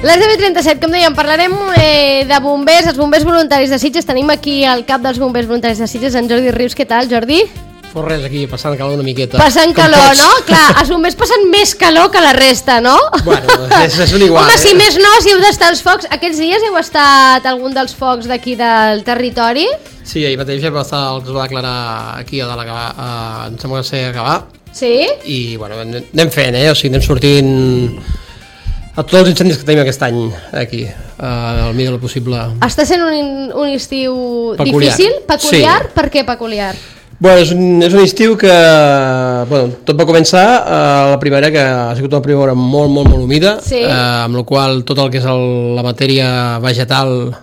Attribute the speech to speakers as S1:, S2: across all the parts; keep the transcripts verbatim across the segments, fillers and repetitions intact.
S1: Les deu i trenta-set, com dèiem, parlarem eh, de bombers, els bombers voluntaris de Sitges. Tenim aquí el cap dels bombers voluntaris de Sitges, en Jordi Rius. Què tal, Jordi?
S2: Pues res, aquí, passant calor una miqueta.
S1: Passant calor, no? Clar, els bombers passen més calor que la resta, no?
S2: Bueno, és, és un igual.
S1: Home,
S2: eh?
S1: si més no, si heu d'estar als focs. Aquests dies heu estat a algun dels focs d'aquí del territori?
S2: Sí, ahir mateix vam estar el que es va declarar aquí a Delegar, a, em sembla que sé acabar.
S1: Sí?
S2: I, bueno, anem fent, eh? O sigui, anem sortint a tots els incendis que tenim aquest any aquí, uh, al millor possible.
S1: Està sent un, un estiu
S2: peculiar.
S1: Difícil? Peculiar?
S2: Sí.
S1: Per què peculiar?
S2: Bueno, és un, és un estiu que, bueno, tot va començar uh, la primavera, que ha sigut una primavera molt, molt, molt humida,
S1: sí.
S2: uh, amb la qual tot el que és el, la matèria vegetal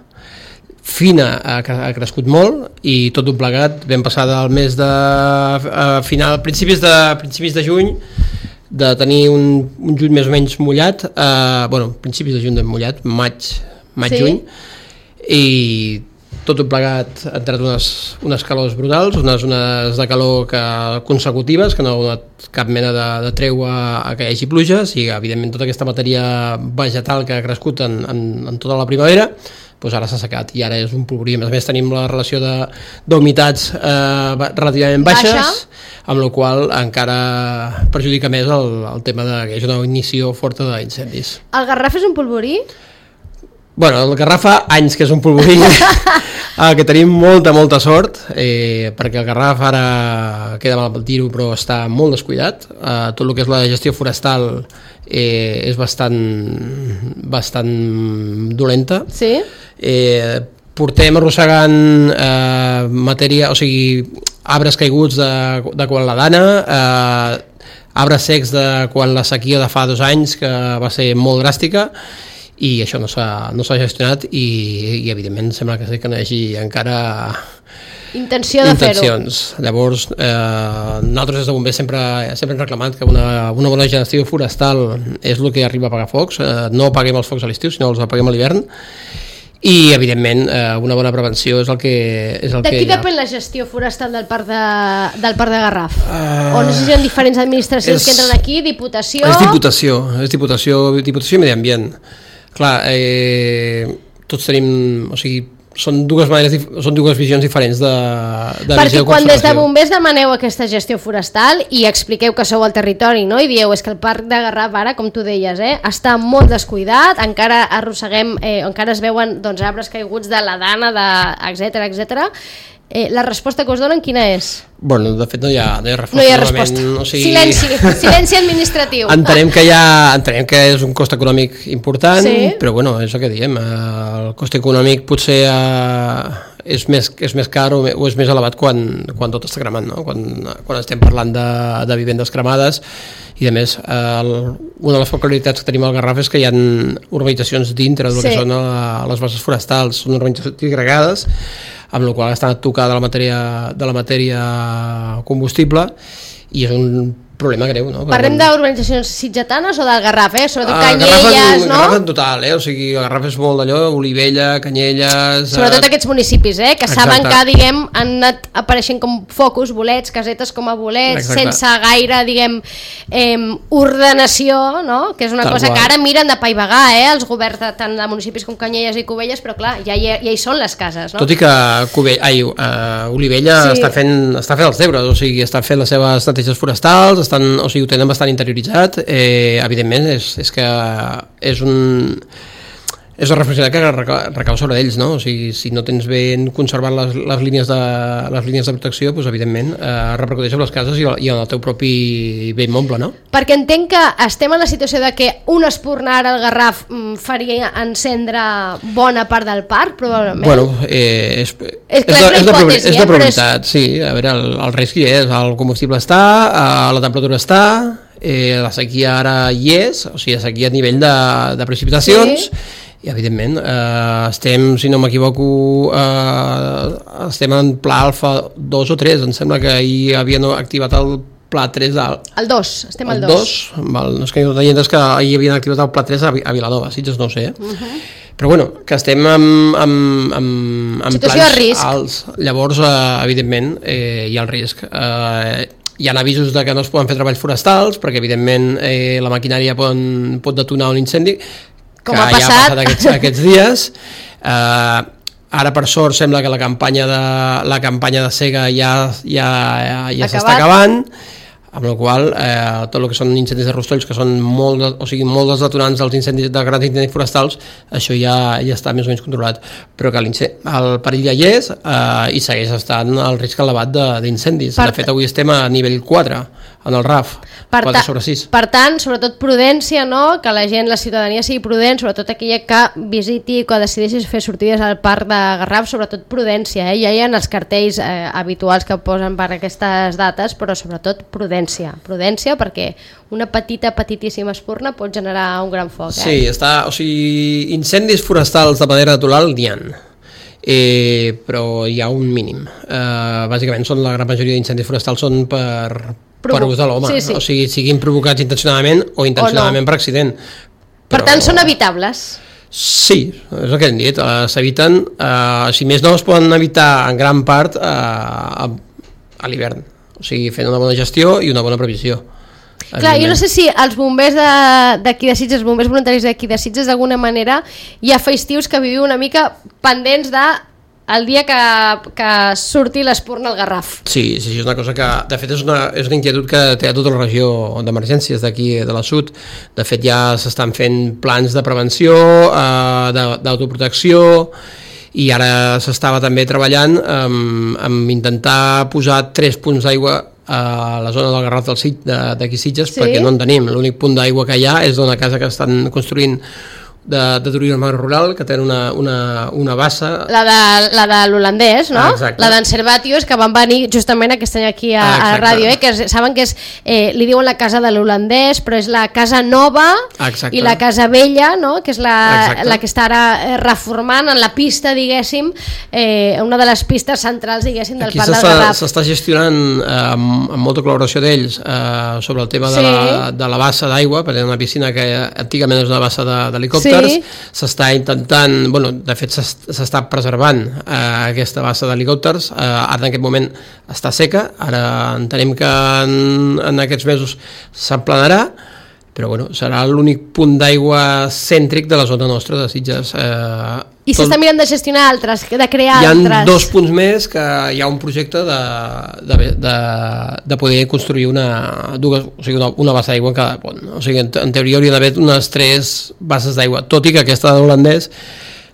S2: fina ha, ha crescut molt, i tot un plegat vam passar del mes de uh, final, principis de, principis de juny, de tenir un, un juny més o menys mullat, eh, bueno, principis de juny de mullat, maig, maig-juny, sí. I tot un plegat ha entrat unes, unes calors brutals, unes ones de calor que, consecutives, que no ha donat cap mena de, de treua a que hi hagi pluges, i evidentment tota aquesta matèria vegetal que ha crescut en, en, en tota la primavera, doncs ara s'ha secat i ara és un polvorí. A més tenim la relació d'humitats eh, relativament baixes, Baixa. Amb la qual encara perjudica més el, el tema de que és una ignició forta d'incendis.
S1: El Garraf és un polvorí?
S2: Bueno, el Garraf fa anys que és un polvorí, eh, que tenim molta, molta sort, eh, perquè el Garraf ara queda mal dir-ho, però està molt descuidat. Eh, tot el que és la gestió forestal eh, és bastant, bastant dolenta.
S1: Sí.
S2: Eh, portem arrossegant eh, matèria, o sigui, arbres caiguts de, de quan la dana, eh, arbres secs de quan la sequia de fa dos anys, que va ser molt dràstica, i això no s'ha no s'ha gestionat, i, i evidentment sembla que sí que no hi hagi encara
S1: intenció de fer-ho.
S2: Llavors, eh, nosaltres des de bombers sempre, sempre hem reclamat que una, una bona gestió forestal és el que arriba a apagar focs. Eh, no apaguem els focs a l'estiu, sinó els apaguem a l'hivern. I, evidentment, eh, una bona prevenció és el que, és el
S1: de
S2: que
S1: qui depèn la gestió forestal del parc de, del parc de Garraf? Uh, o no sé si hi ha diferents administracions és, que entren aquí, Diputació...
S2: És Diputació, és Diputació, Diputació i Medi Ambient. Clar, eh, tots tenim... O sigui, són dues maneres, són dues visions diferents de, de
S1: perquè
S2: visió de
S1: quan des de
S2: conservació.
S1: bombers demaneu aquesta gestió forestal i expliqueu que sou al territori, no? I dieu, és que el parc de Garraf ara, com tu deies, eh, està molt descuidat, encara arrosseguem, eh, encara es veuen doncs, arbres caiguts de la dana, de, etcètera, etcètera. Eh, la resposta que us donen quina és?
S2: Bueno, de fet no hi ha, no hi ha resposta.
S1: No hi ha resposta.
S2: O sigui...
S1: Silenci, silenci administratiu.
S2: Entenem que, hi ha, entenem que és un cost econòmic important, sí. Però bueno, és el que diem, el cost econòmic potser eh, és, més, és més car o, o és més elevat quan, quan tot està cremant, no? quan, quan estem parlant de, de vivendes cremades. I a més, eh, una de les peculiaritats que tenim al Garraf és que hi ha urbanitzacions dintre del sí. que són a, les bases forestals, són urbanitzacions agregades, amb la qual està tocada la matèria, de la matèria combustible, i és un problema greu, no?
S1: Parlem d'urbanitzacions sitgetanes o del Garraf, eh? Sobretot
S2: el
S1: Canyelles,
S2: Garraf,
S1: no?
S2: El Garraf en total, eh? O sigui, el Garraf és molt d'allò, Olivella, Canyelles...
S1: Sobretot aquests municipis, eh? Que
S2: Exacte.
S1: Saben que, diguem, han anat apareixent com focus, bolets, casetes com a bolets, exacte. Sense gaire, diguem, eh, ordenació, no? Que és una Tal cosa qual. Que ara miren de paivagar, eh? Els governs de, tant de municipis com Canyelles i Cubelles, però clar, ja hi, ja hi són les cases, no?
S2: Tot i que Cubell, ai, uh, Olivella sí. està, fent, està fent els deures, o sigui, està fent les seves neteges forestals, estan, o sigui, ho tenen bastant interioritzat, eh, evidentment és, és que és un és una responsabilitat que recau, recau sobre ells, no? O sigui, si no tens ben conservat les, les, línies de, les línies de protecció, doncs evidentment eh, repercuteix sobre les cases i, i en el teu propi bé immoble, no?
S1: Perquè entenc que estem en la situació de que un espurnar al Garraf faria encendre bona part del parc, probablement.
S2: Bueno, eh, és,
S1: és, clar, és,
S2: és, de,
S1: hipòtesi,
S2: és de probabilitat,
S1: és...
S2: sí. A veure, el, el risc hi és, el combustible està, eh, la temperatura està, eh, la sequia ara hi és, o sigui, la sequia a nivell de, de precipitacions, sí. I evidentment eh, estem, si no m'equivoco, eh, estem en pla alfa dos o tres, em sembla que ahir havien activat el pla tres del...
S1: El dos, estem al
S2: dos. El dos, val, no és que no tenia entès que ahir havien activat el pla tres a, a Vilanova, Sitges no ho sé, eh? Uh-huh. Però bueno, que estem amb, amb, amb, amb plans alts, llavors eh, evidentment eh, hi ha el risc. Eh, hi ha avisos de que no es poden fer treballs forestals perquè evidentment eh, la maquinària pot, pot detonar un incendi,
S1: Com
S2: que
S1: ha passat,
S2: ja ha passat aquests, aquests dies. Eh, ara, per sort, sembla que la campanya de, la campanya de sega ja, ja, ja s'està acabant, amb la qual eh, tot el que són incendis de rostolls, que són molt, o sigui, molt dels detonants dels incendis, de grans incendis forestals, això ja, ja està més o menys controlat, però que el perill ja hi és eh, i segueix estant el risc elevat d'incendis. De fet, avui estem a nivell quatre en el R A F,
S1: per
S2: quatre sobre sis.
S1: Per tant, sobretot prudència, no? Que la gent, la ciutadania sigui prudent, sobretot aquella que visiti, que decideixi fer sortides al parc de Garraf, sobretot prudència, eh? Ja hi ha els cartells eh, habituals que posen per aquestes dates, però sobretot prudència, prudència perquè una petita, petitíssima espurna pot generar un gran foc. Eh?
S2: Sí, està, o sigui, incendis forestals de manera natural n'hi ha, eh, però hi ha un mínim. Eh, bàsicament són la gran majoria d'incendis forestals són per... Provo per ús de l'home, sí, sí. O sigui, siguin provocats intencionadament o intencionadament o no. Per accident.
S1: Però... Per tant, són evitables?
S2: Sí, és el que hem dit, uh, s'eviten, uh, si més no es poden evitar en gran part uh, a, a l'hivern, o sigui, fent una bona gestió i una bona previsió.
S1: Clar, jo no sé si els bombers d'aquí de, de Sitges, els bombers voluntaris d'aquí de Sitges, d'alguna manera hi ha festius que viviu una mica pendents de el dia que, que surti l'espurna al Garraf.
S2: Sí, sí, és una cosa que, de fet, és una, és una inquietud que té a tota la regió d'emergències d'aquí de la Sud. De fet, ja s'estan fent plans de prevenció, eh, d'autoprotecció, i ara s'estava també treballant amb, amb intentar posar tres punts d'aigua a la zona del Garraf d'aquí Sitges, sí? Perquè no en tenim. L'únic punt d'aigua que hi ha és d'una casa que estan construint de, de turisme rural, que tenen una, una, una bassa... La
S1: de, la de l'holandès, no? Ah, la d'en Servatius, que van venir justament aquest any aquí a, ah, a ràdio, eh? Que es, saben que és, eh, li diuen la casa de l'holandès, però és la casa nova, exacte. I la casa vella, no? Que és la, la que està ara reformant en la pista, diguéssim, eh, una de les pistes centrals, diguéssim, del
S2: aquí
S1: Parc del Garraf.
S2: S'està gestionant eh, amb, amb molta col·laboració d'ells eh, sobre el tema de, sí. la, de la bassa d'aigua, perquè és una piscina que antigament és una bassa d'helicòpter. Sí. S'està intentant, bueno, de fet s'està preservant eh, aquesta bassa d'helicòpters, eh, ara en aquest moment està seca, ara entenem que en, en aquests mesos s'emplenarà, però bueno, serà l'únic punt d'aigua cèntric de la zona nostra de Sitges. Eh,
S1: I s'està mirant de gestionar altres, de crear altres.
S2: Hi ha dos punts més que hi ha un projecte de, de, de, de poder construir una, dues, o sigui, una, una bassa d'aigua en cada pont. O sigui, en, en teoria hauria d'haver unes tres basses d'aigua, tot i que aquesta de l'holandès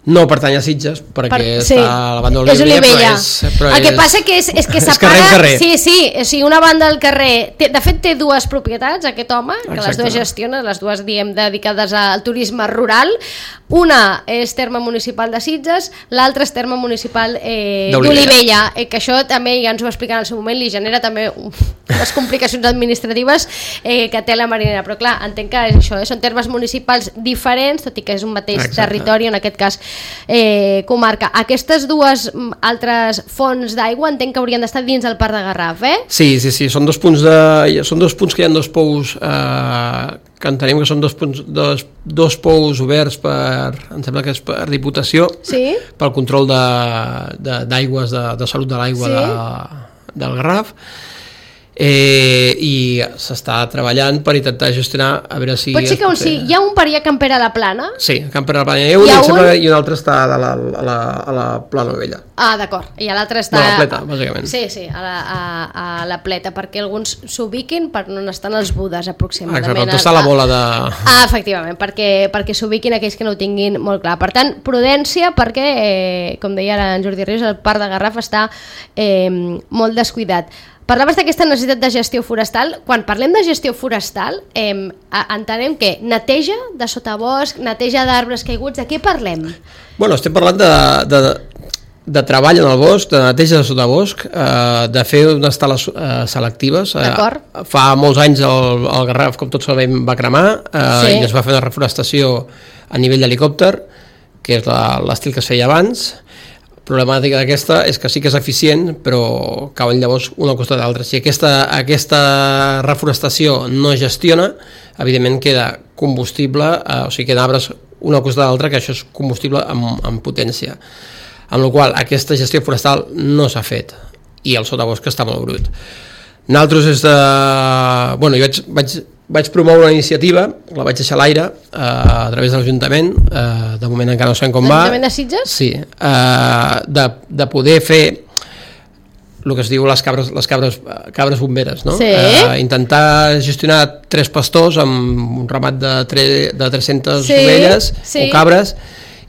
S2: no pertany a Sitges, perquè per, sí. està a la banda de l'Olivella, però, és, però
S1: el que és, passa que és, és que separa... Sí, sí, o sigui, una banda del carrer... Té, de fet, té dues propietats, aquest home, que exacte. Les dues gestiona, les dues, diem, dedicades al turisme rural. Una és terme municipal de Sitges, l'altra és terme municipal eh, d'Olivella, eh, que això també ja ens ho va explicar en el seu moment, li genera també unes complicacions administratives eh, que té la marinera, però clar, entenc que és això, eh, són termes municipals diferents, tot i que és un mateix exacte. Territori, en aquest cas Eh, comarca. Aquestes dues altres fonts d'aigua entenc que haurien d'estar dins del Parc de Garraf, eh?
S2: Sí, sí, sí, són dos punts, de, són dos punts que hi ha dos pous eh, que entenem que són dos, punts, dos, dos pous oberts per, em sembla que és per Diputació,
S1: sí?
S2: Pel control d'aigües, de, de, de salut de l'aigua sí? de, del Garraf. Eh, i s'està treballant per intentar gestionar a veure si...
S1: Pot ser que un, sí, hi ha un per allà a Campera a la Plana?
S2: Sí, a Campera a la Plana hi ha un, hi ha un... Sembla, i un altre està a la, a la, a la Plana Vella.
S1: Ah, d'acord, i l'altre està...
S2: No, a la Pleta, bàsicament.
S1: Sí, sí, a la, a, a la Pleta, perquè alguns s'ubiquin per on estan els Budes, aproximadament.
S2: Exacte, on està la bola de...
S1: Ah, efectivament, perquè, perquè s'ubiquin aquells que no ho tinguin molt clar. Per tant, prudència, perquè, eh, com deia ara en Jordi Rius, el Parc de Garraf està eh, molt descuidat. Parlaves d'aquesta necessitat de gestió forestal. Quan parlem de gestió forestal, eh, entenem que neteja de sotabosc, neteja d'arbres caiguts, de què parlem?
S2: Bueno, estem parlant de, de, de treball en el bosc, de neteja de sotabosc, eh, de fer unes tales eh, selectives.
S1: D'acord.
S2: Eh, fa molts anys el, el Garraf, com tots sabem, va cremar eh, sí. I es va fer una reforestació a nivell d'helicòpter, que és l'estil que es feia abans. Problemàtica d'aquesta és que sí que és eficient, però cauen llavors una al costat de l'altra. Si aquesta, aquesta reforestació no es gestiona, evidentment queda combustible, eh, o sigui, queden arbres una al costat de l'altra, que això és combustible amb, amb potència. Amb la qual cosa aquesta gestió forestal no s'ha fet, i el sotabosc està molt brut. Nosaltres és de... Bueno, jo vaig, vaig vaig promoure una iniciativa, la vaig deixar a l'aire eh, a través de l'Ajuntament, eh, de moment encara no sabem com va.
S1: L'Ajuntament de Sitges?
S2: Sí, eh, de, de poder fer el que es diu les cabres, les cabres, cabres bomberes, no?
S1: Sí.
S2: Eh, intentar gestionar tres pastors amb un ramat de, tre, de tres-centes
S1: sí,
S2: ovelles
S1: sí.
S2: o cabres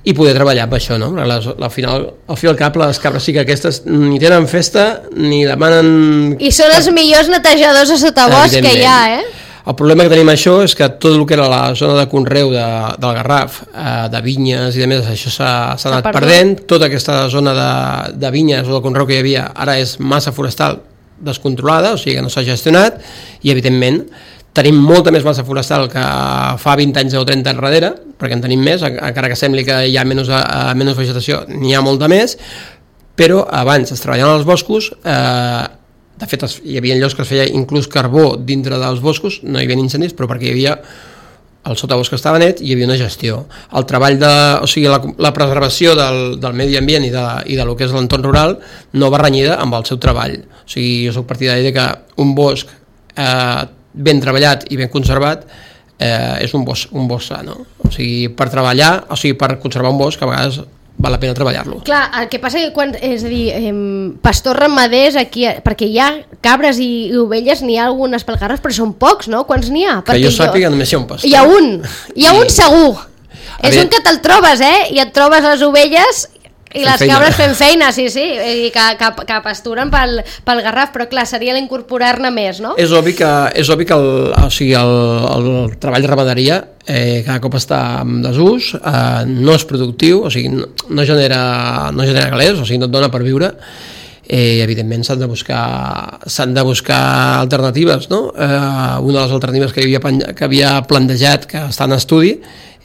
S2: i poder treballar amb això, no? Les, al final, al fi al cap, les cabres sí que aquestes ni tenen festa ni demanen...
S1: I són els millors netejadors a sotabosc que hi ha, eh?
S2: El problema que tenim això és que tot el que era la zona de conreu de, del Garraf, eh, de vinyes i de més, això s'ha anat perdut. perdent. Tota aquesta zona de, de vinyes o de conreu que hi havia ara és massa forestal descontrolada, o sigui que no s'ha gestionat, i evidentment tenim molta més massa forestal que fa vint anys o trenta enrere, perquè en tenim més, encara que sembli que hi ha menys, uh, menys vegetació, n'hi ha molta més, però abans es treballaven als boscos, eh, de fet hi havia llocs que es feia inclús carbó dintre dels boscos, no hi havia incendis, però perquè hi havia el sotabosc que estava net i hi havia una gestió. El treball de, o sigui, la, la preservació del, del medi ambient i de, i de lo que és l'entorn rural no va renyida amb el seu treball. O sigui, jo soc partidari de que un bosc eh, ben treballat i ben conservat eh, és un bosc, un bosc sa, no? O sigui, per treballar, o sigui, per conservar un bosc a vegades val la pena treballar-lo.
S1: Clar, el que passa que quan, és a dir, eh, pastors ramaders aquí, perquè hi ha cabres i, i ovelles, n'hi ha algunes pel Garraf, però són pocs, no? Quants n'hi ha?
S2: Que
S1: perquè
S2: jo sàpiga jo... només hi ha un pastor.
S1: Hi ha un, hi ha I... un segur.
S2: A
S1: és
S2: veure...
S1: un que te'l trobes, eh? I et trobes les ovelles i les
S2: feina.
S1: cabres fent feina, sí, sí, i que, que, que pasturen pel, pel Garraf, però clar, seria l'incorporar-ne més, no?
S2: És obvi que, és obvi que el, o sigui, el, el treball de ramaderia eh, cada cop està en desús, eh, no és productiu, o sigui, no, no, genera, no genera calés, o sigui, no et dona per viure, eh, evidentment s'han de buscar s'han de buscar alternatives, no? Eh, una de les alternatives que havia, que havia plantejat, que està en estudi,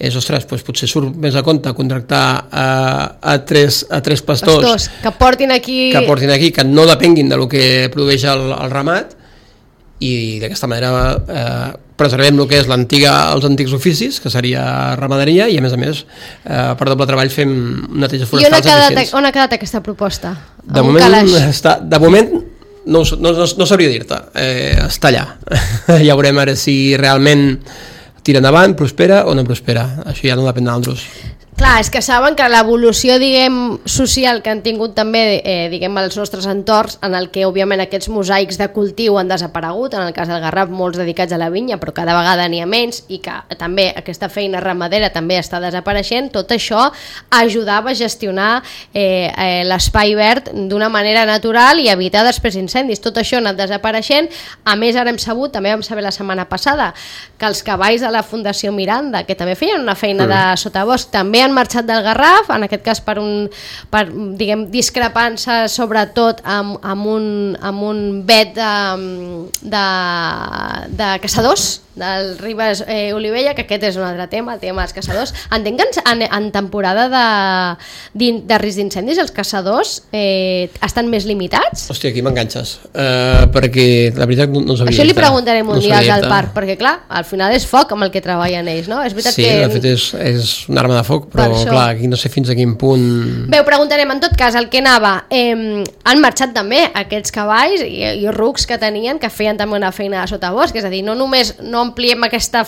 S2: és, ostres, doncs potser surt més a compte contractar a, a, tres, a tres pastors,
S1: pastors que portin aquí
S2: que portin aquí, que no depenguin del que produeix el, el ramat, i d'aquesta manera eh, preservem el que és l'antiga, els antics oficis, que seria ramaderia, i a més a més eh, per doble treball fem neteges forestals.
S1: I on ha quedat,
S2: eficients.
S1: on ha quedat aquesta proposta?
S2: De moment, està, de moment no, no, no, no sabria dir-te, eh, està allà. Ja veurem ara si realment tira endavant, prospera o no prospera, això ja no depèn d'altres.
S1: Clar, és que saben que l'evolució, diguem, social que han tingut també, eh, diguem, els nostres entorns, en el que, òbviament, aquests mosaics de cultiu han desaparegut, en el cas del Garraf, molts dedicats a la vinya, però cada vegada n'hi ha menys, i que també aquesta feina ramadera també està desapareixent, tot això ajudava a gestionar eh, eh, l'espai verd d'una manera natural i evitar després incendis. Tot això ha anat desapareixent. A més, ara hem sabut, també vam saber la setmana passada, que els cavalls de la Fundació Miranda, que també feien una feina mm. de sotabosc, també han marxat del Garraf, en aquest cas per un per, diguem, discrepances sobretot amb, amb, un, amb un vet de, de, de caçadors del Ribes eh, Olivella, que aquest és un altre tema, el tema dels caçadors. Entenc que en, en temporada de, de risc d'incendis els caçadors eh, estan més limitats?
S2: Hòstia, aquí m'enganxes, uh, perquè la veritat no, no sabia.
S1: Això li preguntarem un
S2: no
S1: dia al parc, perquè clar, al final és foc amb el que treballen ells, no? És veritat
S2: sí,
S1: que...
S2: de fet és, és una arma de foc, però clar, aquí no sé fins a quin punt...
S1: Bé, ho preguntarem. En tot cas, el que anava, eh, han marxat també aquests cavalls i, i rucs que tenien, que feien també una feina de sotabosc, és a dir, no només no ampliem aquesta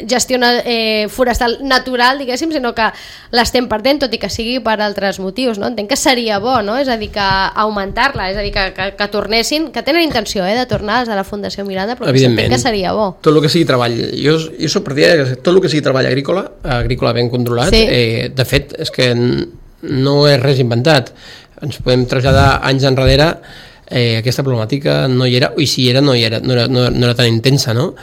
S1: gestió eh, forestal natural, diguéssim, sinó que l'estem perdent, tot i que sigui per altres motius, no? Entenc que seria bo, no? És a dir, que augmentar-la, és a dir, que, que, que tornessin, que tenen intenció eh, de tornar des de la Fundació Miranda, però que entenc que seria bo.
S2: Tot el que sigui treball, jo, jo soc partidari que tot el que sigui treball agrícola, agrícola ben controlat, sí. eh, de fet, és que no és res inventat. Ens podem traslladar anys enrere, eh, aquesta problemàtica no hi era, i si hi era no, hi era, no, era, no, no era tan intensa, no?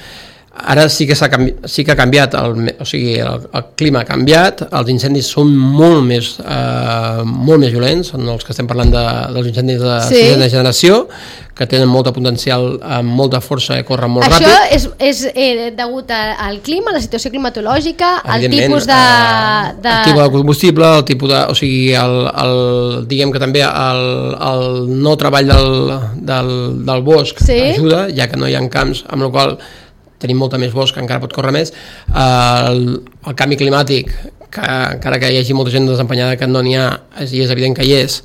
S2: Ara sí que, canvi, sí que ha canviat, el, o sigui, el, el clima ha canviat, els incendis són molt més, eh, molt més violents, són els que estem parlant de, dels incendis de
S1: sí.
S2: sisena generació, que tenen molta potencial, amb molta força i corren molt
S1: Això
S2: ràpid.
S1: Això és, és eh, degut al clima, a la situació climatològica, al tipus de, de...
S2: El tipus de combustible, el tipus de... O sigui, el, el, diguem que també el, el no treball del, del, del bosc sí. ajuda, ja que no hi ha camps, amb la qual tenim molta més bosc, encara pot córrer més. El, el canvi climàtic, que encara que hi hagi molta gent desempenyada que no n'hi ha, i és evident que hi és,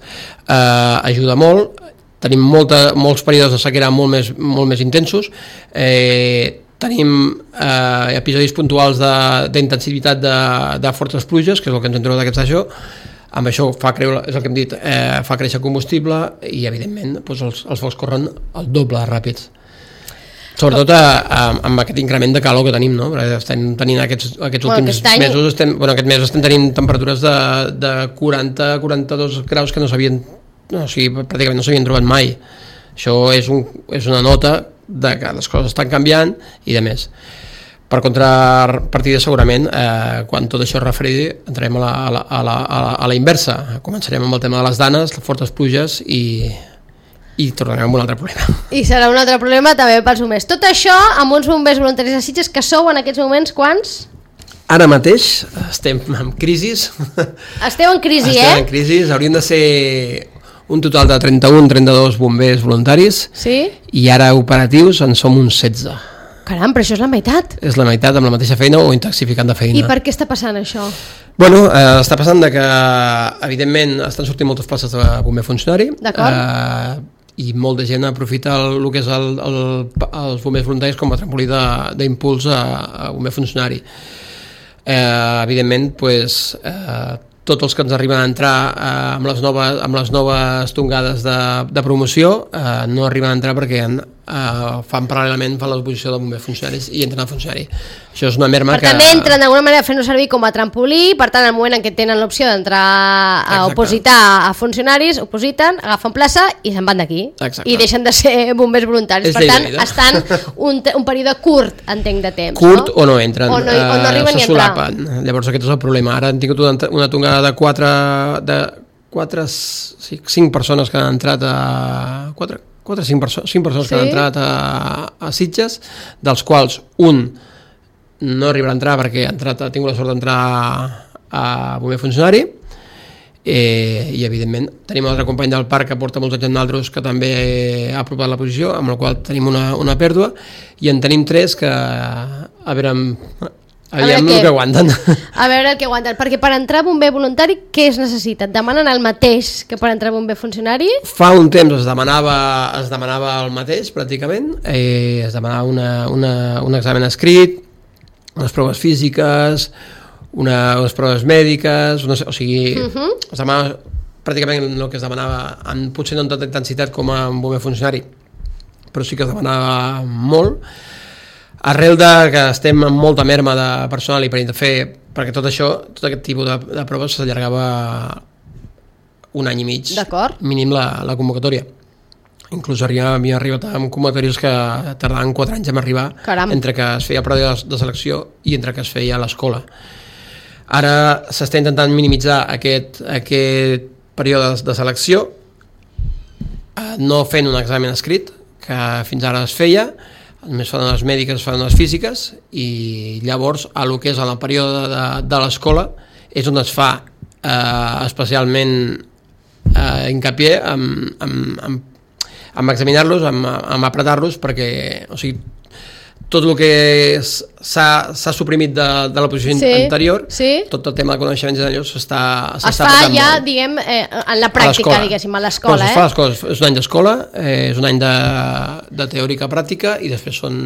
S2: eh, ajuda molt. Tenim molta, molts períodes de sequera molt més, molt més intensos. Eh, tenim eh, episodis puntuals d'intensitat de, de, de fortes pluges, que és el que ens hem trobat aquest això. Amb això fa creure, és el que hem dit, eh, fa créixer combustible i evidentment doncs els, els focs corren el doble de ràpids. Sobretot a, a, amb aquest increment de calor que tenim, no? Perquè estem tenint aquests, aquests
S1: bueno,
S2: últims
S1: aquest any...
S2: mesos, estem, bueno, aquest mes estem tenint temperatures de, de quaranta a quaranta-dos graus que no s'havien, no, o sigui, pràcticament no s'havien trobat mai. Això és, un, és una nota de que les coses estan canviant i de més. Per contrapartida, segurament, eh, quan tot això es refredi, entrarem a la, a, la, a, la, a la inversa. Començarem amb el tema de les danes, les fortes pluges i, i tornarem amb un altre problema.
S1: I serà un altre problema també pels bombers. Tot això amb uns bombers voluntaris de Sitges, que sou en aquests moments quants?
S2: Ara mateix estem en crisis.
S1: Esteu en crisi,
S2: estem
S1: eh?
S2: en crisi, haurien de ser un total de trenta-un trenta-dos bombers voluntaris,
S1: sí?
S2: I ara operatius en som uns setze.
S1: Caram, però això és la meitat.
S2: És la meitat amb la mateixa feina o intensificant de feina.
S1: I per què està passant això?
S2: Bueno, eh, està passant de que, evidentment, estan sortint moltes places de bomber funcionari.
S1: D'acord.
S2: Eh, I molt de gent aprofita el, el que és el, el, els bombers voluntaris com a trampolí d'impuls a, a bomber funcionari. Eh, evidentment, pues, eh, tots els que ens arriben a entrar eh, amb, les noves, amb les noves tongades de, de promoció eh, no arriben a entrar perquè en, eh, fan paral·lelament fan l'exposició de bombers funcionaris i entren a funcionari. Això és una merma
S1: per
S2: que...
S1: Per tant, entren d'alguna manera fent-ho servir com a trampolí, per tant, al moment en què tenen l'opció d'entrar a
S2: Exacte.
S1: opositar a funcionaris, opositen, agafen plaça i se'n van d'aquí.
S2: Exacte.
S1: I deixen de ser bombers voluntaris.
S2: És
S1: per tant,
S2: lleida.
S1: estan un, un període curt, entenc, de temps.
S2: Curt
S1: no?
S2: o no entren,
S1: o no, o no arriben
S2: eh,
S1: ni
S2: se solapen. Llavors aquest és el problema. Ara han tingut una, una tongada de quatre, de quatre, cinc persones que han entrat a... quatre, quatre cinc, perso cinc persones sí? que han entrat a, a Sitges, dels quals un no arribarà a entrar perquè ha, entrat, ha tingut la sort d'entrar a bomber funcionari, eh, i evidentment tenim un altre company del parc que porta molts anys amb nosaltres que també ha apropat la posició, amb la qual tenim una, una pèrdua, i en tenim tres que a veure aviam el que aguanten.
S1: A veure el que aguanten, perquè per entrar bomber voluntari què es necessita? Et demanen el mateix que per entrar bomber funcionari?
S2: Fa un temps es demanava, es demanava el mateix pràcticament, eh, es demanava una, una, un examen escrit, unes proves físiques, una, unes proves mèdiques, una, o sigui, uh -huh. es demanava pràcticament el que es demanava, en, potser no amb tanta intensitat com a un bomber funcionari, però sí que es demanava molt, arrel de que estem amb molta merma de personal i per fer, perquè tot això, tot aquest tipus de, de proves s'allargava un any i mig, mínim la, la convocatòria. Inclús havia arribat amb convocatòries que tardaven quatre anys en arribar. Caram. Entre que es feia el període de selecció i entre que es feia a l'escola. Ara s'està intentant minimitzar aquest, aquest període de selecció, no fent un examen escrit, que fins ara es feia, només fan les mèdiques, es fan les físiques, i llavors a lo que és en el període de, de l'escola és on es fa eh, especialment eh, hincapié amb, amb, amb amb examinar-los, amb, amb apretar-los, perquè, o sigui, tot el que s'ha suprimit de, de la posició sí, anterior, sí. Tot el tema de coneixements i d'allò s'està
S1: es fa ja, molt. Diguem, eh, en la pràctica, diguéssim, a l'escola.
S2: Eh? Es fa les coses, és un any d'escola, eh, és un any de, de teòrica pràctica i després són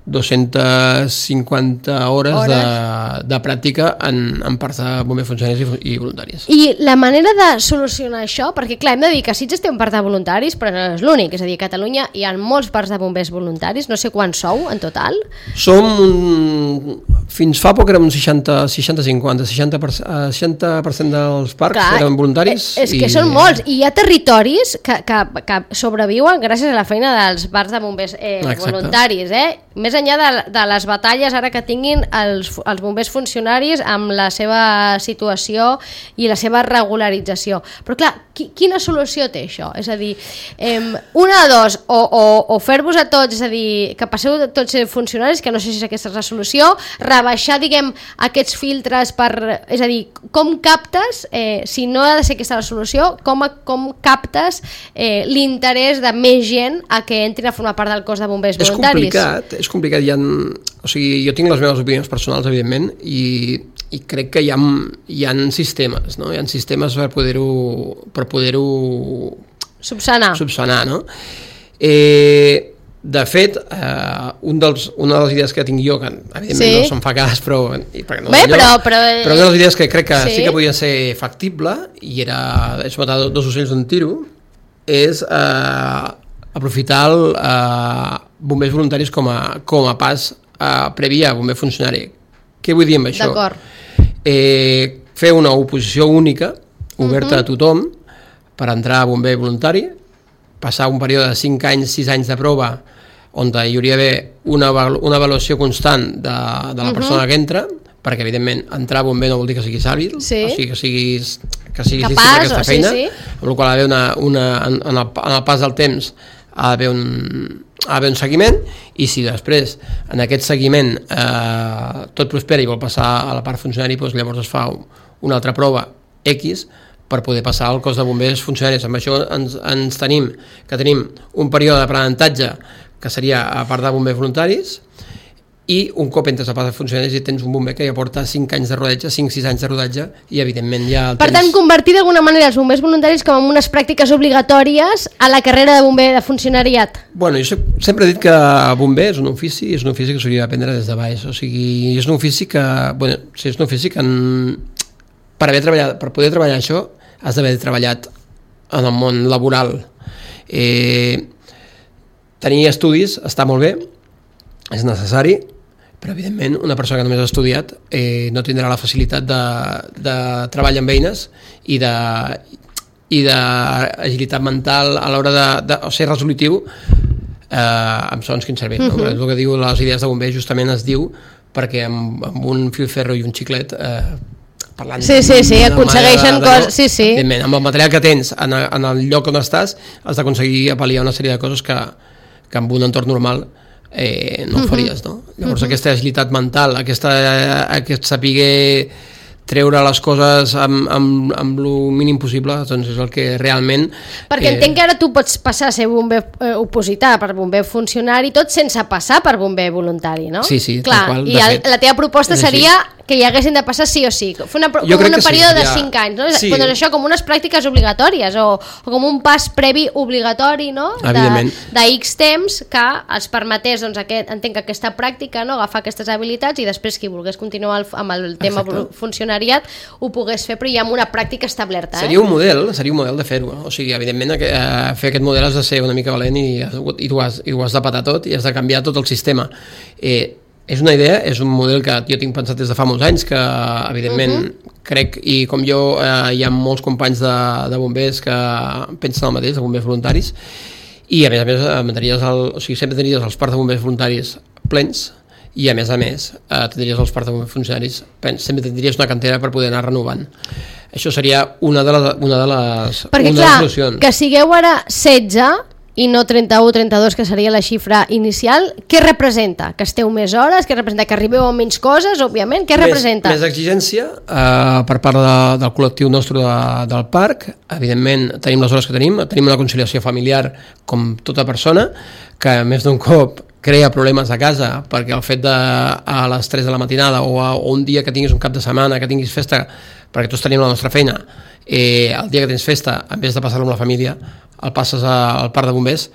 S2: dues-centes cinquanta hores, hores. De, de pràctica en, en parts de bombers funcionaris i, i voluntaris.
S1: I la manera de solucionar això, perquè clar, hem de dir que Sitges té un parc de voluntaris, però no és l'únic, és a dir, a Catalunya hi ha molts parcs de bombers voluntaris, no sé quants sou en total.
S2: Som un, fins fa poc érem un seixanta cinquanta, seixanta per cent dels parcs clar, eren voluntaris.
S1: És que i... són molts, i hi ha territoris que, que, que sobreviuen gràcies a la feina dels parcs de bombers eh, voluntaris, eh? Més enllà de, de les batalles ara que tinguin els, els bombers funcionaris amb la seva situació i la seva regularització. Però clar, qui, quina solució té això? És a dir, eh, una de dos, o, o, o fer-vos a tots, és a dir, que passeu a tots ser funcionaris, que no sé si aquesta és la solució, rebaixar, diguem, aquests filtres per... És a dir, com captes, eh, si no ha de ser aquesta la solució, com, com captes eh, l'interès de més gent a que entrin a formar part del cos de bombers voluntaris?
S2: És complicat, és complicat, hi ha, o sigui, jo tinc les meves opinions personals, evidentment, i, i crec que hi ha, hi ha sistemes, no? Hi ha sistemes per poder-ho per poder-ho
S1: subsanar.
S2: subsanar, no? Eh, de fet, eh, un dels, una de les idees que tinc jo, que evidentment sí. no se'n fa cas, però... I no
S1: Bé,
S2: allò,
S1: però, però...
S2: però una de les idees que crec que sí,
S1: sí
S2: que podia ser factible, i era, és matar dos ocells d'un tiro, és eh, aprofitar el eh, bombers voluntaris com a, com a pas eh, previ a bomber funcionari. Què vull dir amb això?
S1: D'acord.
S2: Eh, fer una oposició única, oberta uh-huh. a tothom, per entrar a bomber voluntari, passar un període de cinc anys, sis anys de prova, on hi hauria d'haver una, una avaluació constant de, de la persona uh-huh. que entra, perquè evidentment entrar a bomber no vol dir que siguis hàbil,
S1: sí.
S2: o sigui que siguis, que siguis
S1: capaç,
S2: llista per aquesta feina,
S1: sí, sí.
S2: amb la qual ha una, una, en, en, el, en el pas del temps ha d'haver un, ha d'haver un seguiment, i si després en aquest seguiment eh, tot prospera i vol passar a la part funcionari, doncs llavors es fa una altra prova X per poder passar al cos de bombers funcionaris. Amb això ens, ens tenim que tenim un període d'aprenentatge que seria a part de bombers voluntaris, i un cop entres a part de funcionaris i tens un bomber que ja porta cinc anys de rodatge, cinc sis anys de rodatge, i evidentment ja el
S1: per
S2: tens...
S1: tant, convertir d'alguna manera els bombers voluntaris com en unes pràctiques obligatòries a la carrera de bomber de funcionariat.
S2: Bueno, jo soc, sempre he dit que bomber és un ofici, és un ofici que s'hauria d'aprendre des de baix, o sigui, és un ofici que, bueno, sí, és un ofici que en, per, haver treballat, per poder treballar això has d'haver treballat en el món laboral. Eh, tenir estudis està molt bé, és necessari, però evidentment una persona que només ha estudiat eh, no tindrà la facilitat de, de treball amb eines i de i d'agilitat mental a l'hora de, de ser resolutiu eh, amb sons quin servei. Uh-huh. No? El que diu les idees de bomber justament es diu perquè amb, amb un filferro i un xiclet eh, parlant
S1: sí, sí, sí, aconsegueixen coses, sí, sí.
S2: Amb el material que tens en, en el lloc on estàs has d'aconseguir apal·liar una sèrie de coses que, que en un entorn normal eh, no ho faries, no? Llavors uh-huh. aquesta agilitat mental, aquesta, aquest saber treure les coses amb, amb, amb el mínim possible, doncs és el que realment...
S1: Perquè eh... entenc que ara tu pots passar a ser bomber eh, opositar per bomber funcionari, tot sense passar per bomber voluntari, no?
S2: Sí, sí.
S1: Clar,
S2: qual,
S1: i el,
S2: fet,
S1: la teva proposta seria que hi haguessin de passar sí o sí. Fer una, com un període sí, de cinc anys, no? Sí. Doncs això com unes pràctiques obligatòries o, o com un pas previ obligatori, no?
S2: Evidentment.
S1: De, de X temps que els permetés, doncs, aquest, entenc que aquesta pràctica, no? Agafar aquestes habilitats i després qui volgués continuar el, amb el tema Exacte. funcionariat ho pogués fer, però ja amb una pràctica establerta. Eh?
S2: Seria un model, seria un model de fer-ho. O sigui, evidentment, eh, fer aquest model has de ser una mica valent i, i, tu has, i ho has de patar tot i has de canviar tot el sistema. Eh, És una idea, és un model que jo tinc pensat des de fa molts anys, que evidentment uh-huh. crec, i com jo eh, hi ha molts companys de, de bombers que pensen el mateix, de bombers voluntaris, i a més a més manteniries el, o sigui, sempre tindries els parcs de bombers voluntaris plens, i a més a més eh, tindries els parcs de bombers funcionaris plens, sempre tindries una cantera per poder anar renovant. Això seria una de les, una de les,
S1: Perquè,
S2: una
S1: clar,
S2: de les solucions.
S1: Que sigueu ara setze i no trenta-u, trenta-dos, que seria la xifra inicial, què representa? Que esteu més hores? Què representa? Que arribeu a menys coses, òbviament? Què
S2: més,
S1: representa?
S2: Més exigència eh, per part de, del col·lectiu nostre de, del parc. Evidentment, tenim les hores que tenim, tenim una conciliació familiar com tota persona, que més d'un cop crea problemes a casa, perquè el fet de a les tres de la matinada o, a, o un dia que tinguis un cap de setmana, que tinguis festa, perquè tots tenim la nostra feina, eh, el dia que tens festa, en vez de passar-lo amb la família, el passes al parc de bombers,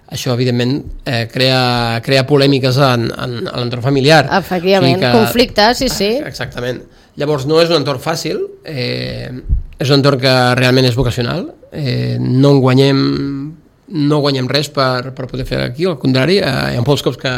S2: això evidentment eh, crea, crea polèmiques en, en, en l'entorn familiar.
S1: Efectivament, que, conflictes, sí, sí.
S2: Exactament. Llavors no és un entorn fàcil, eh, és un entorn que realment és vocacional, eh, no en guanyem no guanyem res per, per poder fer aquí, al contrari, eh, hi ha molts cops que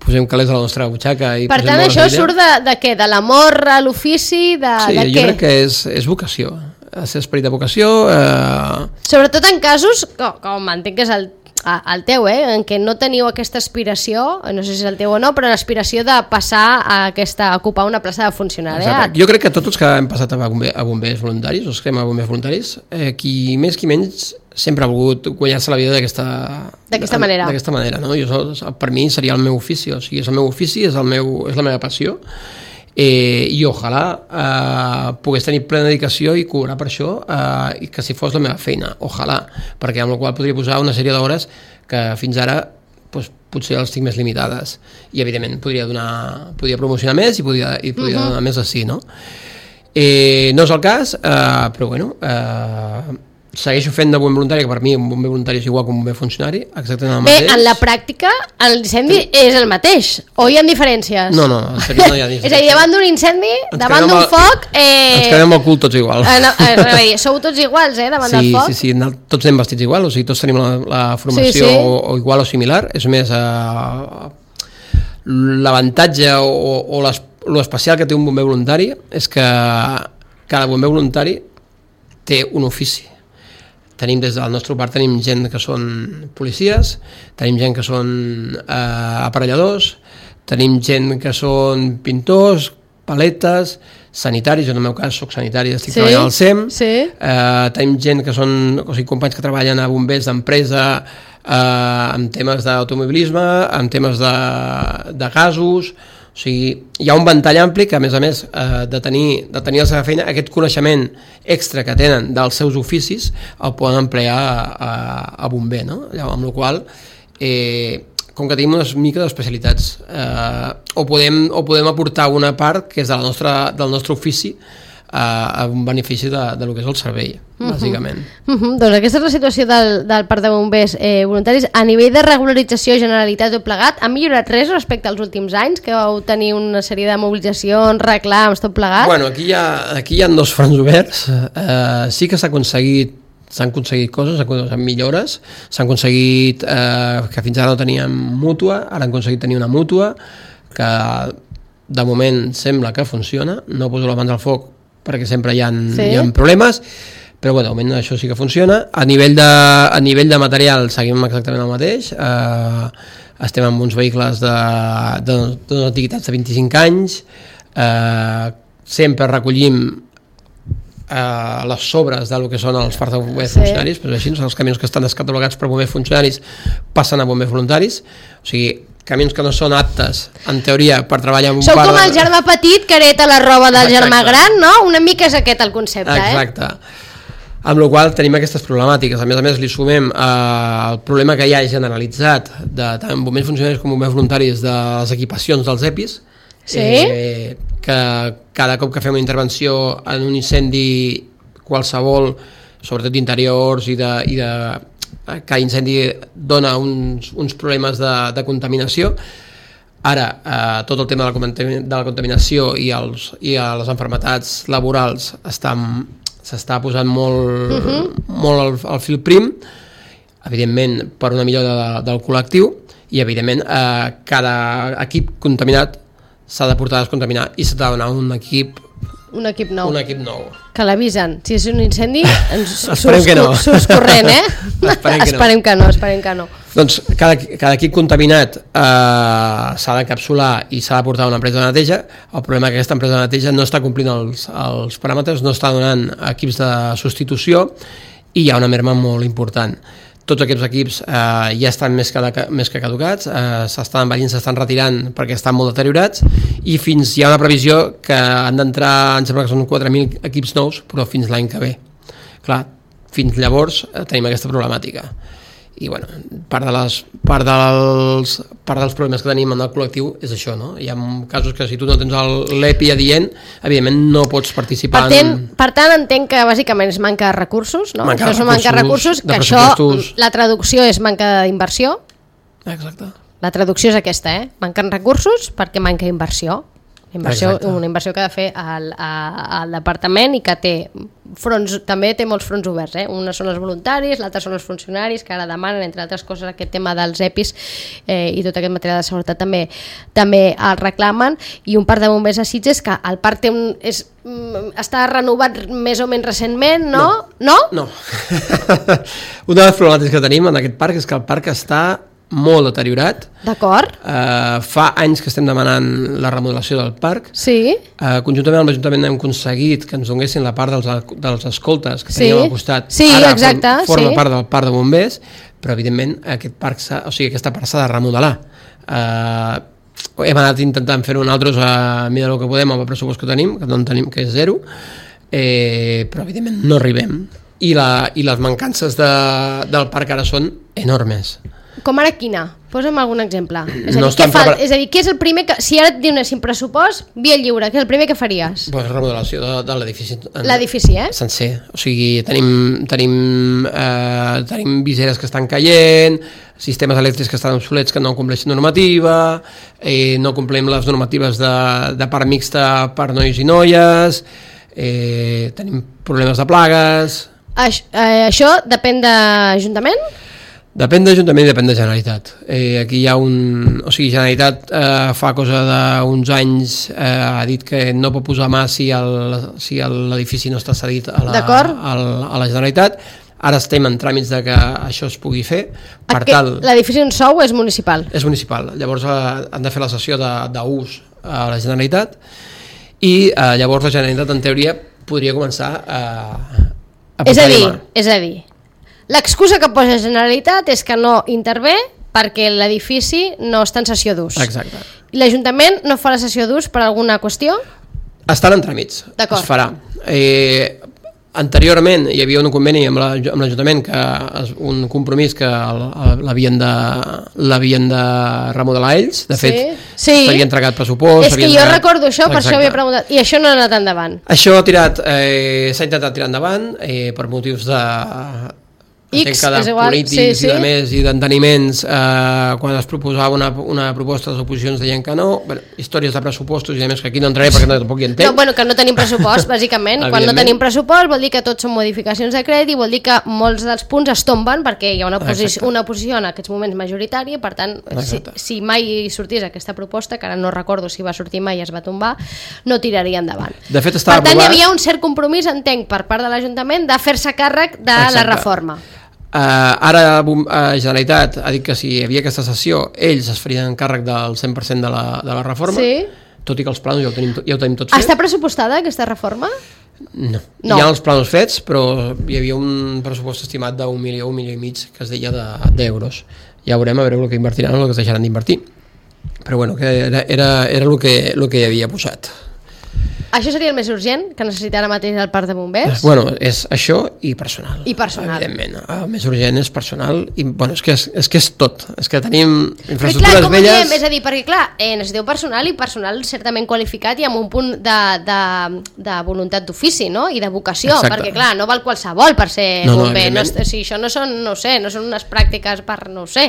S2: posem calés a la nostra butxaca i
S1: per tant això surt de, de què? De l'amor a l'ofici? De,
S2: sí,
S1: de
S2: jo
S1: què?
S2: crec que és, és vocació, és esperit de vocació. Eh...
S1: Sobretot en casos, com, com entenc que és el, el teu, eh, en què no teniu aquesta aspiració, no sé si és el teu o no, però l'aspiració de passar a, aquesta, a ocupar una plaça de funcionariat.
S2: Jo crec que tots els que hem passat a, bomber, a bombers voluntaris, els que hem a bombers voluntaris, eh, qui més qui menys sempre ha volgut guanyar-se la vida d'aquesta
S1: d'aquesta manera.
S2: D'aquesta manera, no? Jo, per mi seria el meu ofici, o sigui, és el meu ofici, és, el meu, és la meva passió, eh, i ojalà eh, pogués tenir plena dedicació i cobrar per això, eh, i que si fos la meva feina, ojalà, perquè amb la qual podria posar una sèrie d'hores que fins ara pues, potser els tinc més limitades, i evidentment podria donar, podria promocionar més i podria, i podria uh-huh. donar més així, no? Eh, no és el cas, eh, però bueno, eh, segueixo fent de bomber voluntari, que per mi un bomber voluntari és igual que un bomber funcionari, exactament el
S1: Bé,
S2: mateix.
S1: en la pràctica l'incendi és el mateix, o hi ha diferències?
S2: No, no, en sèrio no hi ha diferències.
S1: És a dir, davant d'un incendi,
S2: Ens
S1: davant d'un
S2: el...
S1: foc... Eh...
S2: Ens quedem el cul tots igual.
S1: Eh, no, eh, dir, sou tots iguals, eh, davant
S2: sí,
S1: del foc?
S2: Sí, sí, sí, tots anem vestits igual, o sigui, tots tenim la, la formació sí, sí. O, o igual o similar, és més eh, l'avantatge o, o l'especial que té un bomber voluntari és que cada bomber voluntari té un ofici. Tenim des del nostre part tenim gent que són policies, tenim gent que són eh, aparelladors, tenim gent que són pintors, paletes, sanitaris, jo en el meu cas soc sanitari, estic sí, treballant al S E M,
S1: sí.
S2: eh, tenim gent que són, o sigui, companys que treballen a bombers d'empresa eh, amb temes d'automobilisme, amb temes de, de gasos, o sigui, hi ha un ventall ampli que a més a més eh, de, tenir, de tenir la seva feina, aquest coneixement extra que tenen dels seus oficis el poden emplear a, a, a bomber, no? Llavors, amb la qual eh, com que tenim unes mica d'especialitats eh, o, podem, o podem aportar una part que és de la nostra, del nostre ofici a un benefici de, de lo que és el servei, uh-huh. bàsicament.
S1: Uh-huh. Doncs aquesta és la situació del, del parc de bombers eh, voluntaris. A nivell de regularització, generalitat o plegat, ha millorat res respecte als últims anys, que vau tenir una sèrie de mobilitzacions, reclams, tot plegat?
S2: Bueno, aquí hi ha, aquí hi ha dos fronts oberts. Eh, sí que s'ha aconseguit s'han aconseguit coses, s'han millores, s'han aconseguit eh, que fins ara no teníem mútua, ara han aconseguit tenir una mútua, que de moment sembla que funciona, no poso les mans al foc perquè sempre hi ha, sí. hi ha problemes, però bueno, de moment això sí que funciona. A nivell de, a nivell de material seguim exactament el mateix, eh, estem amb uns vehicles de, de, de antiguitats de vint-i-cinc anys, eh, sempre recollim eh, les sobres del que són els parcs de bombers sí. funcionaris, però així els camions que estan descatalogats per bombers funcionaris passen a bombers voluntaris, o sigui, camions que no són aptes, en teoria, per treballar amb un
S1: Sou
S2: par
S1: com
S2: de...
S1: el germà petit que hereta la roba del Exacte. germà gran, no? Una mica és aquest el concepte,
S2: Exacte.
S1: eh?
S2: Exacte. Amb la qual tenim aquestes problemàtiques. A més a més, li sumem eh, el problema que hi ha generalitzat de tant bombers funcionaris com bombers voluntaris de les equipacions dels E P Is,
S1: sí?
S2: eh, que cada cop que fem una intervenció en un incendi qualsevol, sobretot d'interiors i de... I de cada incendi dona uns, uns problemes de, de contaminació. Ara, eh, tot el tema de la, de la contaminació i, els, i les malalties laborals estan, s'està posant molt, uh-huh. molt al, al fil prim, evidentment per una millora de, del col·lectiu, i evidentment eh, cada equip contaminat s'ha de portar a descontaminar i s'ha de donar un equip
S1: Un equip nou.
S2: Un equip nou.
S1: Que l'avisen. Si és un incendi, ens
S2: esperem que no.
S1: Surts corrent, eh?
S2: Esperem, que,
S1: esperem
S2: no.
S1: que no. Esperem que no.
S2: Doncs cada, cada equip contaminat eh, s'ha d'encapsular i s'ha de portar a una empresa de neteja. El problema és que aquesta empresa de neteja no està complint els, els paràmetres, no està donant equips de substitució i hi ha una merma molt important. Tots aquests equips eh, ja estan més que, més que caducats, eh, s'estan envellint, s'estan retirant perquè estan molt deteriorats i fins hi ha una previsió que han d'entrar, em sembla que són quatre mil equips nous, però fins l'any que ve. Clar, fins llavors eh, tenim aquesta problemàtica. I bueno, part, de les, part, dels, part dels problemes que tenim en el col·lectiu és això, no? Hi ha casos que si tu no tens l'E P I adient, evidentment no pots participar
S1: per ten,
S2: en...
S1: Per tant, entenc que bàsicament és manca de recursos, no?
S2: Manca
S1: això
S2: de
S1: és manca de recursos, que això, la traducció és manca d'inversió.
S2: Exacte.
S1: La traducció és aquesta, eh? Manquen recursos perquè manca inversió. Inversió, una inversió que ha de fer al, al departament i que té fronts, també té molts fronts oberts, eh? Una són els voluntaris, l'altra són els funcionaris que ara demanen, entre altres coses, aquest tema dels E P Is eh, i tot aquest material de seguretat també també el reclamen, i un parc de bombers a Sitges que el parc té un, és, està renovat més o menys recentment, no? No?
S2: No. no. Una de les problemàtiques que tenim en aquest parc és que el parc està molt deteriorat.
S1: D'acord.
S2: Uh, fa anys que estem demanant la remodelació del parc.
S1: Sí.
S2: Uh, conjuntament amb l'Ajuntament hem aconseguit que ens donessin la part dels, dels escoltes que
S1: sí.
S2: teníem al costat.
S1: Sí,
S2: Ara
S1: exacte.
S2: Form, forma
S1: sí.
S2: part del parc de bombers, però evidentment aquest parc o sigui, aquesta part s'ha de remodelar. Uh, hem anat intentant fer-ho nosaltres a mida del que podem amb el pressupost que tenim, que no en tenim, que és zero, eh, però evidentment no arribem. I, la, i les mancances de, del parc ara són enormes.
S1: Com ara quina? Posa'm algun exemple. És a,
S2: No
S1: dir, què
S2: estan
S1: fa,
S2: prepar-
S1: és a dir, què és el primer que... Si ara et donessin pressupost, via lliure, què és el primer que faries?
S2: Pues remodelació de, de l'edifici.
S1: L'edifici, eh?
S2: Sencer. O sigui, tenim, tenim, eh, tenim viseres que estan caient, sistemes elèctrics que estan obsolets que no compleixen normativa, eh, no complim les normatives de, de part mixta per nois i noies, eh, tenim problemes de plagues...
S1: Aix, eh, això depèn d'Ajuntament?
S2: Depèn d'Ajuntament i depèn de Generalitat. Eh, aquí hi ha un... O sigui, Generalitat eh, fa cosa d'uns anys eh, ha dit que no pot posar mà si el- si el- l'edifici no està cedit a la,
S1: D'acord.
S2: a, la- a la Generalitat. Ara estem en tràmits de que això es pugui fer. Per
S1: Aquest-
S2: tal,
S1: L'edifici on sou és municipal.
S2: és municipal. Llavors eh, han de fer la sessió de- d'ús a la Generalitat i eh, llavors la Generalitat, en teoria, podria començar a, a
S1: És a
S2: posar-hi
S1: dir,
S2: mà.
S1: és a dir, l'excusa que posa Generalitat és que no intervé perquè l'edifici no està en sessió d'ús.
S2: Exacte.
S1: I l'Ajuntament no fa la sessió d'ús per alguna qüestió?
S2: Estan en tràmits,
S1: D'acord.
S2: es farà. Eh, anteriorment hi havia un conveni amb la- amb l'Ajuntament, que és un compromís que el- l'havien de, l'havien de remodelar ells. De fet,
S1: Sí.
S2: s'havia entregat pressupost.
S1: És que
S2: s'havien
S1: jo
S2: entregat-
S1: recordo això, per
S2: Exacte.
S1: això havia preguntat. I això no ha anat endavant.
S2: Això ha tirat, eh, s'ha intentat tirar endavant eh, per motius de...
S1: X,
S2: entenc que de
S1: és igual,
S2: polítics
S1: sí, sí.
S2: i de més i d'enteniments, eh, quan es proposava una, una proposta, les oposicions deien que no. Bueno, històries de pressupostos i de més que aquí no entraré perquè no, tampoc hi entenc.
S1: No, bueno, que no tenim pressupost, bàsicament. Quan no
S2: Evidentment.
S1: tenim pressupost vol dir que tots són modificacions de crèdit i vol dir que molts dels punts es tomben perquè hi ha una, posi
S2: Exacte.
S1: una posició en aquests moments majoritària i per tant, si,
S2: Exacte.
S1: si mai sortís aquesta proposta, que ara no recordo si va sortir mai i es va tombar, no tiraria endavant.
S2: De fet, estava
S1: Per tant, hi
S2: aprovat-
S1: havia un cert compromís, entenc, per part de l'Ajuntament de fer-se càrrec de la
S2: Exacte.
S1: reforma.
S2: Uh, ara Bom- uh, Generalitat ha dit que si hi havia aquesta sessió ells es farien càrrec del cent per cent de la, de la reforma,
S1: Sí.
S2: tot i que els plans ja ho tenim, tot- ja ho tenim tot fet.
S1: Està pressupostada aquesta reforma?
S2: No.
S1: No.
S2: Hi ha els plans fets, però hi havia un pressupost estimat d'un milió, un milió i mig, que es deia de- d'euros. Ja veurem a veure el que invertiran o el que es deixaran d'invertir. Però bueno, que era, era, era el, que, el que hi havia posat.
S1: Això seria el més urgent que necessita ara mateix el parc de bombers?
S2: Bueno, és això i personal.
S1: I personal.
S2: Evidentment. El més urgent és personal i, bueno, és que és, és, que és tot. És que tenim
S1: Però
S2: infraestructures
S1: clar, com ho
S2: velles...
S1: diem? És a dir, perquè clar, eh, necessiteu personal i personal certament qualificat i amb un punt de, de, de voluntat d'ofici, no? I de vocació,
S2: Exacte.
S1: perquè clar, no val qualsevol per ser
S2: No, no,
S1: bomber, no,
S2: evidentment.
S1: o sigui, això no són, no sé, no són unes pràctiques per, no ho sé,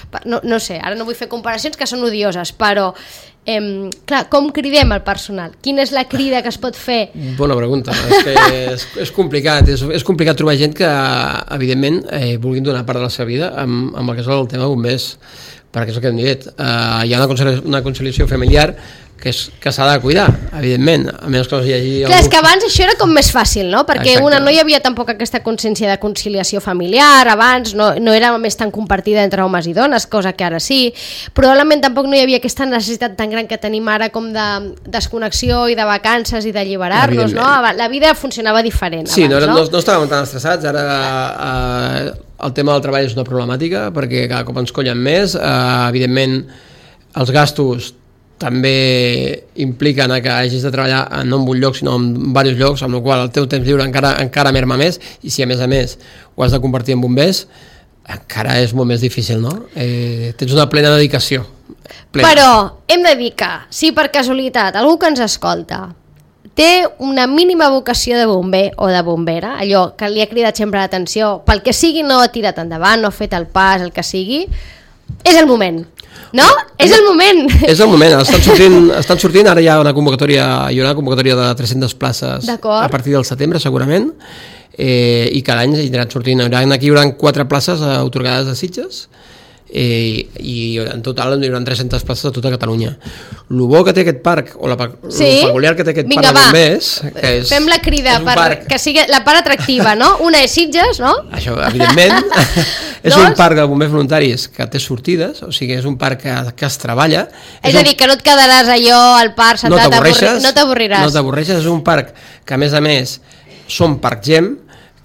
S1: per, no, no sé, ara no vull fer comparacions que són odioses, però eh, clar, com cridem el personal? Quina és la crida que es pot fer?
S2: Bona pregunta, és que és, és complicat, és, és complicat trobar gent que, evidentment, eh, vulguin donar part de la seva vida amb, amb el que és el tema de bombers, perquè és el que hem dit, eh, hi ha una conciliació, una conciliació familiar que, és, que s'ha de cuidar, evidentment, a menys que no hi hagi...
S1: Clar, és que abans això era com més fàcil, no? Perquè
S2: Exacte.
S1: una no hi havia tampoc aquesta consciència de conciliació familiar, abans no, no era més tan compartida entre homes i dones, cosa que ara sí. Probablement tampoc no hi havia aquesta necessitat tan gran que tenim ara com de desconnexió i de vacances i d'alliberar-nos, no?
S2: Evidentment.
S1: La vida funcionava diferent
S2: Sí, no,
S1: abans,
S2: era-
S1: no?
S2: no, no estàvem tan estressats, ara eh, el tema del treball és una problemàtica perquè cada cop ens collen més, eh, evidentment els gastos també impliquen a que hagis de treballar no en un lloc sinó en diversos llocs, amb la qual el teu temps lliure encara, encara merma més i si a més a més ho has de convertir en bombers encara és molt més difícil, no? Eh, tens una plena dedicació. Plena.
S1: Però hem de dir que, si per casualitat algú que ens escolta té una mínima vocació de bomber o de bombera, allò que li ha cridat sempre l'atenció, pel que sigui no ha tirat endavant, no ha fet el pas, el que sigui, és el moment. No? És el moment!
S2: És el moment, estan sortint, estan sortint, ara hi ha una convocatòria, hi ha una convocatòria de tres-centes places
S1: D'acord.
S2: a partir del setembre segurament, eh, i cada any aniran sortint, hi haurà, aquí hi haurà quatre places eh, atorgades a Sitges, eh, i en total hi haurà tres-centes places a tota Catalunya. El bo que té aquest parc, o la,
S1: Sí?
S2: el peculiar que té aquest
S1: Vinga,
S2: parc de
S1: va.
S2: bombers, que és,
S1: Fem la crida
S2: és un
S1: per
S2: parc,
S1: que sigui la part atractiva, no? Una és Sitges, no?
S2: això, evidentment, és
S1: Dos.
S2: un parc de bombers voluntaris que té sortides, o sigui, és un parc que, que es treballa.
S1: És,
S2: un
S1: a dir, que no et quedaràs allò al parc
S2: no
S1: sentat
S2: t'avorreixes,
S1: avorri- no t'avorriràs.
S2: no t'avorreixes, és un parc que a més a més són parc GEM,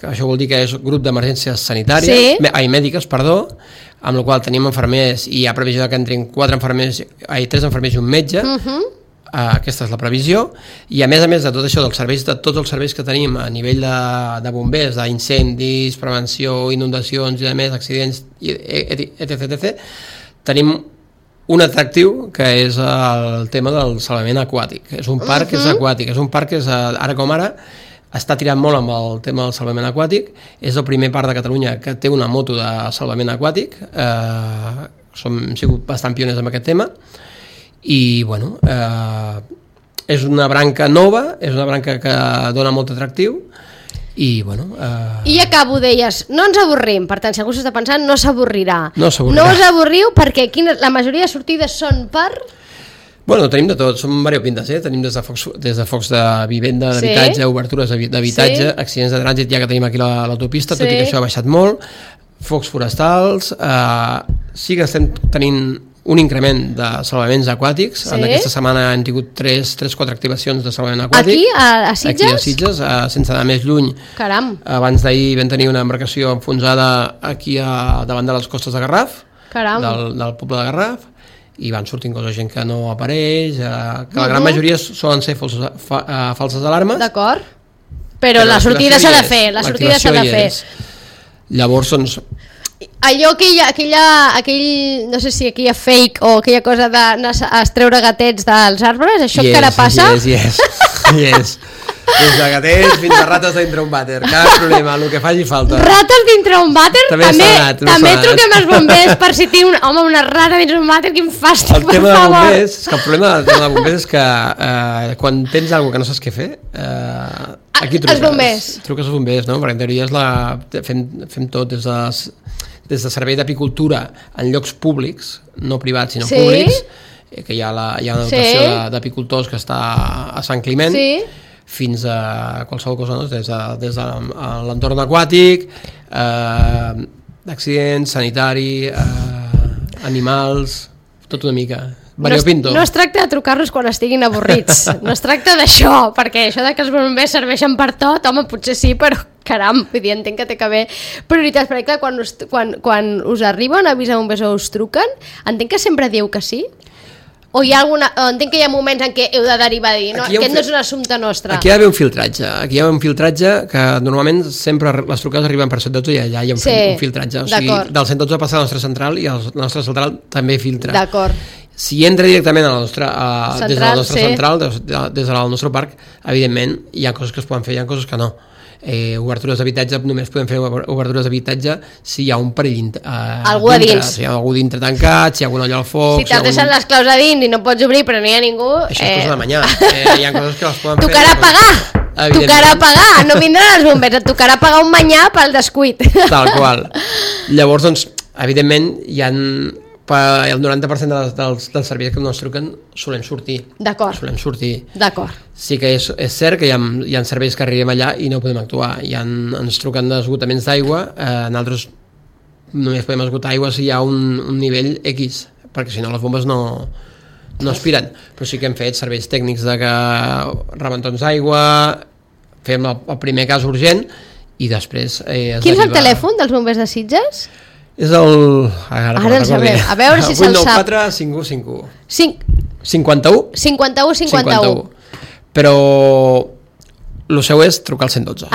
S2: que això vol dir que és grup d'emergències sanitàries,
S1: Sí.
S2: me- ai, mèdiques, perdó, amb la qual tenim infermers i hi ha previsió de que entrin quatre infermers, ai, tres infermers i un metge, uh -huh. uh, aquesta és la previsió, i a més a més de tot això, dels serveis, de tots els serveis que tenim a nivell de, de bombers, d'incendis, prevenció, inundacions i a més accidents, i etc, etc, tenim un atractiu que és el tema del salvament aquàtic. És un parc que és aquàtic, és un parc que és, ara com ara està tirant molt amb el tema del salvament aquàtic. És el primer parc de Catalunya que té una moto de salvament aquàtic. Eh, som, hem sigut bastant pioners en aquest tema i bueno, eh, és una branca nova, és una branca que dona molt atractiu i bueno... Eh...
S1: I acabo, deies, no ens avorrim, per tant, si algú s'està pensant, no s'avorrirà.
S2: No s'avorrirà.
S1: No us avorriu perquè quina, la majoria de sortides són per...
S2: Bueno, tenim de tot, som variopintes, eh? Tenim des de focs, des de, focs de vivenda, d'habitatge, sí. Obertures d'habitatge, sí. Accidents de trànsit, ja que tenim aquí l'autopista, la, sí. Tot i que això ha baixat molt, focs forestals, eh, sí que estem tenint un increment de salvaments aquàtics. Sí. En aquesta setmana hem tingut tres quatre activacions de salvament aquàtic.
S1: Aquí, a, a Sitges?
S2: Aquí a Sitges, a, sense anar més lluny.
S1: Caram.
S2: Abans d'ahir vam tenir una embarcació enfonsada aquí a, davant de les costes de Garraf,
S1: Caram.
S2: Del, del poble de Garraf, i van sortint coses, gent que no apareix, eh, que la gran uh-huh. majoria solen ser falses, fa, uh, falses alarmes.
S1: D'acord. Però, Però la sortida s'ha de fer, la sortida s'ha de fer.
S2: Llavors, doncs,
S1: allò aquella, aquella, aquell, no sé si aquella fake o aquella cosa d'anar a treure gatets dels arbres, això yes, encara passa?
S2: Yes, yes, yes. Des de gatets fins a rates dintre un vàter, cap problema, el que faci falta.
S1: Rates dintre un vàter?
S2: També,
S1: també,
S2: sonat,
S1: també truquem als bombers per si tinc un, home, una rata dintre un vàter, quin fàstic,
S2: el tema de bombers, és que el problema del tema de bombers és que eh, quan tens alguna que no saps què fer, eh, aquí truques,
S1: bombers.
S2: truques als bombers, no? Perquè en teoria és la, fem, fem tot des de, des de servei d'apicultura en llocs públics, no privats sinó
S1: sí?
S2: públics, que hi ha, la, hi ha una dotació
S1: sí?
S2: d'apicultors que està a Sant Climent,
S1: sí?
S2: fins a qualsevol cosa, no? des de, des de l'entorn aquàtic, eh, d'accidents, sanitari, eh, animals, tot una mica. Variopinto.
S1: No es, no es tracta de trucar-los quan estiguin avorrits, no es tracta d'això, perquè això de que els bombers serveixen per tot, home, potser sí, però caram, vull dir, entenc que té que haver prioritats, perquè clar, quan us, quan, quan us arriben a avisar bombers o us truquen, entenc que sempre dieu que sí? O hi ha alguna... entenc que hi ha moments en què heu de derivar a dir, no, aquest no és un assumpte nostre.
S2: Aquí hi ha d'haver un filtratge, aquí hi ha un filtratge que normalment sempre les trucades arriben per cent dotze i allà hi ha un, sí, un filtratge, o sigui, del cent dotze passa a la nostra central i la nostra central també filtra.
S1: D'acord.
S2: Si entra directament a la nostra, a, central, des de la nostra
S1: sí.
S2: central, des, de, des del nostre parc, evidentment hi ha coses que es poden fer, hi ha coses que no. Eh, obertures d'habitatge, només podem fer obertures d'habitatge si hi ha un perill eh,
S1: algú a dins,
S2: si hi ha algú dintre tancat, si hi ha algun olla al foc,
S1: si t'has
S2: si
S1: deixat
S2: algun...
S1: les claus a dins i no pots obrir però no hi ha ningú,
S2: això és eh... cosa de manyà, eh, hi ha coses que les poden
S1: tocarà
S2: fer
S1: pagar tocarà pagar, no vindran els bombers, et tocarà pagar un manyà pel descuit,
S2: tal qual. Llavors, doncs, evidentment hi ha el noranta per cent dels, dels, dels serveis que ens truquen solen sortir.
S1: D'acord.
S2: Solen sortir.
S1: D'acord.
S2: Sí que és, és cert que hi ha, hi ha serveis que arribem allà i no podem actuar. Hi ha, ens truquen d'esgotaments d'aigua, eh, nosaltres només podem esgotar aigua si hi ha un, un nivell X, perquè si no les bombes no, no aspiren. Però sí que hem fet serveis tècnics de que rebentons d'aigua, fem el, el primer cas urgent i després... Eh,
S1: Quin és el telèfon dels bombers de Sitges?
S2: És el... Ara,
S1: Ara el sabem. A veure si se'l sap.
S2: vuit nou quatre cinc u cinc u.
S1: cinquanta-u? cinquanta-u cinquanta-u.
S2: Però el seu és trucar al cent dotze.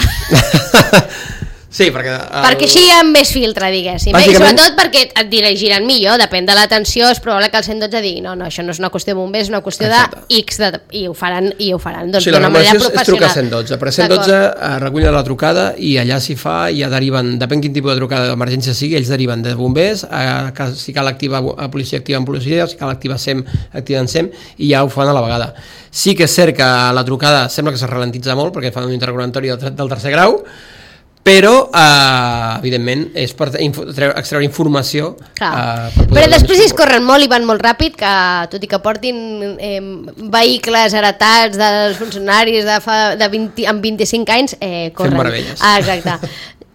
S2: Sí, perquè... El...
S1: Perquè així hi ha més filtre, diguéssim. Bàsicament... I sobretot perquè et dirigiran millor, depèn de l'atenció, és probable que el cent dotze digui no, no, això no és una qüestió de bombers, és una qüestió de X, de... i ho faran, i ho faran doncs,
S2: sí,
S1: d'una manera professional.
S2: És trucar al cent dotze, però cent dotze recull la trucada i allà s'hi fa, i ja deriven, depèn quin tipus de trucada d'emergència sigui, ells deriven de bombers, a, a, si cal activar a policia, activen policia, si cal activar SEM, activen SEM, i ja ho fan a la vegada. Sí que és cert que la trucada sembla que se ralentitza molt, perquè fan un interrogatori del, del tercer grau, però eh, evidentment és per info, extreure informació eh,
S1: per però després es corren molt i van molt ràpid, que tot i que portin eh, vehicles heretats dels funcionaris de fa, de vint, amb vint-i-cinc anys eh, corren.
S2: Fem meravelles.
S1: Ah, exacte.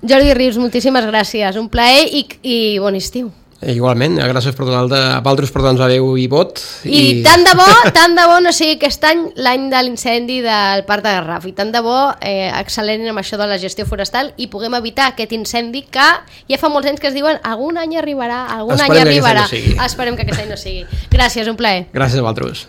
S1: Jordi Rius, moltíssimes gràcies, un plaer i, i bon estiu.
S2: Igualment, gràcies per donar a Paltros per donar-nos veu i vot.
S1: I, I tant de bo, tant de bo no sigui aquest any l'any de l'incendi del Parc de Garraf, i tant de bo eh, accelerin amb això de la gestió forestal i puguem evitar aquest incendi que ja fa molts anys que es diuen algun any arribarà, algun
S2: Esperem
S1: any arribarà.
S2: Que no
S1: Esperem que aquest any no sigui. Gràcies, un plaer.
S2: Gràcies a vosaltres.